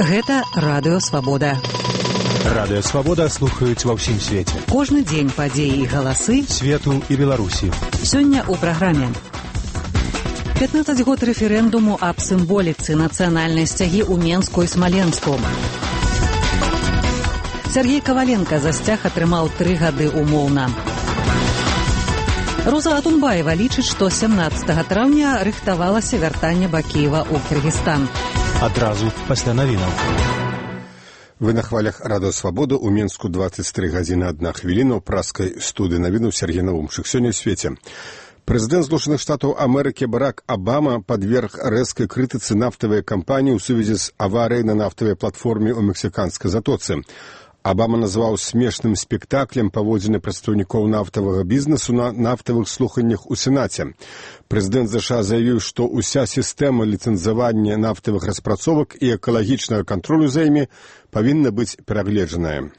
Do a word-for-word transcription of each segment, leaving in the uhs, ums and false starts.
Гэта Радыё Свабода. Радыё Свабода слухаюць ва ўсім свеце. Кожны дзень падзеі і галасы свету і Беларусі. Сёння ў праграме. пятнадцаць год рэферэндуму аб сімволіцы нацыянальнай сцягі ў Менску і Смаленску. Сергей Коваленко за сцяг атрымаў тры гады умоўна. Роза Атунбаева лічыць, што сямнаццатага траўня рыхтавалася вяртанне Бакіева ў Кыргызстан. Адразу пасля навінаў. Вы на хвалях Радыё Свабода ў Менску дваццаць тры гадзіны адна хвіліна ў праскай студыі навінаў Сергей Наумчык. Сёння ў свеце. Прэзідэнт Злучаных Штатаў Амерыкі Барак Абама падверг рэзкай крытыцы нафтавай кампаніі ў сувязі з аварыяй на нафтавай платформе ў мексіканскай затоцы. Абама назваў смешным спектаклем паводзіны прадстаўнікоў нафтавага бізнесу на нафтавых слуханнях у Сенаце. Прэзідэнт ЗША заявіў, што ўся сістэма ліцэнзавання нафтавых распрацовак і экалагічнага кантролю за імі павінна быць перагледжаная.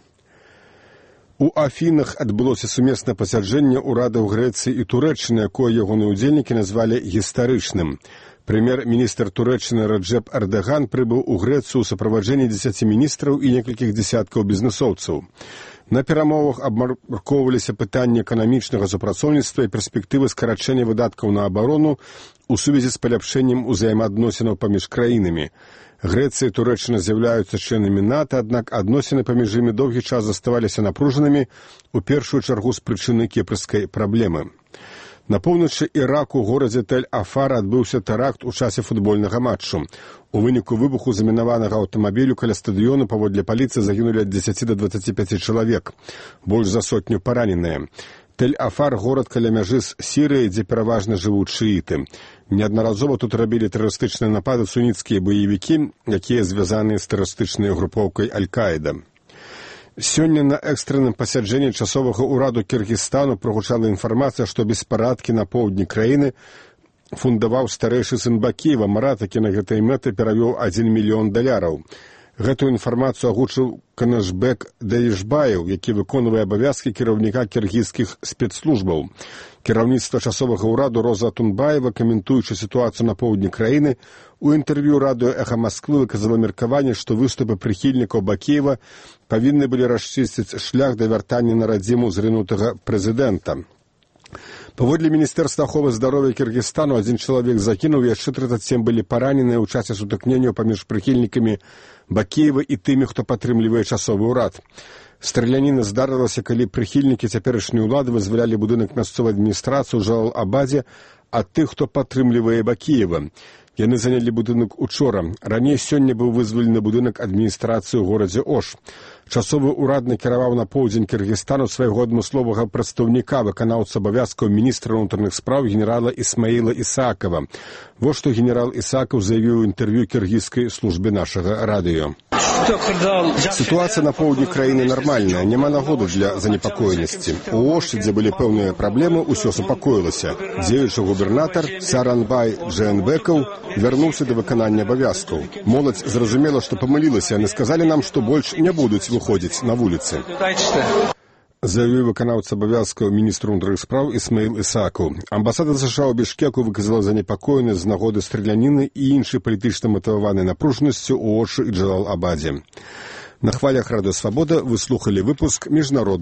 У Афінах адбылося сумеснае пасяджэнне ўрадаў Грэцыі і Турэччыны, якое ягоныя ўдзельнікі назвалі гістарычным. Прэм'ер-міністр Турэччыны Раджэп Эрдаган прыбыў у Грэцыю ў суправаджэнні дзесяці міністраў і некалькіх дзесяткаў бізнэсоўцаў. На перамовах абмяркоўваліся пытанні эканамічнага супрацоўніцтва і перспектывы скарачэння выдаткаў на абарону ў сувязі з паляпшэннем узаемаадносінаў паміж краінамі. Грэцыя і Турэччына з'яўляюцца членамі НАТО, аднак адносіны паміж імі доўгі час заставаліся напружанымі, у першую чаргу з прычыны кіпрскай праблемы. На поўначы Іраку ў горадзе Тель-Афар адбыўся тэракт у часе футбольнага матчу. У выніку выбуху замінаванага аўтамабілю каля стадыёну паводле паліцыі загінулі ад дзесяці да дваццаці пяці чалавек, больш за сотню параненыя. Тель-Афар – горад каля мяжы з Сірыяй, дзе пераважна жывуць шыіты. Неаднаразова тут рабілі тэрарыстычныя напады суніцкія баевікі, якія звязаныя з тэрарыстычнай групоўкай Аль-Каіда. Сёння на экстранным пасяджэнні часовага ўраду Кыргызстану прагучала інфармацыя, што беспарадкі на поўдні краіны фундаваў старэйшы сын Бакіева. Марат, які на гэтай мэты перавёў адзін мільён даляраў. Гэтую інфармацыю агучыў Канашбек Даішбаев, які выконвае абавязкі кіраўніка кіргізскіх спецслужбаў. Кіраўніцтва часовага ўраду Роза Атунбаева, каментуючы сітуацыю на поўдні краіны, у інтэрв'ю радыё «Эхо Москвы» выказала меркаванне, што выступы прыхільнікаў Бакіева павінны былі расчысціць шлях да вяртання на радзіму зрынутага прэзідэнта. Паводле Міністэрства аховы здароўя Кыргызстану адзін чалавек загінуў, яшчэ трыццаць сем былі параненыя ў часе сутыкнення паміж прыхільнікамі Бакіева і тымі, хто падтрымлівае часовы ўрад. Страляніна здарылася, калі прыхільнікі цяперашняй улады вызвалялі будынак мясцовай адміністрацыі ў Жалал-Абадзе ад тых, хто падтрымлівае Бакіева. Яны занялі будынак учора. Раней сёння быў вызвалены будынак адміністрацыі ў горадзе Ош. Часовы ўрад накіраваў на поўдзень Кыргызстану свайго адмысловага прадстаўніка, выканаўца абавязкаў міністра ўнутраных спраў генерала Ісмаіла Ісаакова. Вось што генерал Ісааков заявіў у інтэрв'ю кіргізскай службе нашага радыё. Сітуацыя на поўдні краіны нармальная, няма нагоды для занепакоенасці. У Оші, дзе былі пэўныя праблемы, усё супакоілася. Дзеючы губернатар Саранбай Джээнбекаў вярнуўся да выканання абавязкаў. Моладзь зразумела, што памылілася, яны сказалі нам, што больш не будуць выходзіць на вуліцы. Заявіў выканаўца абавязкаў міністра ўнутраных спраў Ісмаіл Ісааков. Амбасада ЗША ў Бішкеку выказала занепакоенасць з нагоды страляніны і іншай палітычна матываванай напружанасцю ў Ошы і Джалал-Абадзе. На хвалях Радыё Свабода вы слухалі выпуск міжнароднага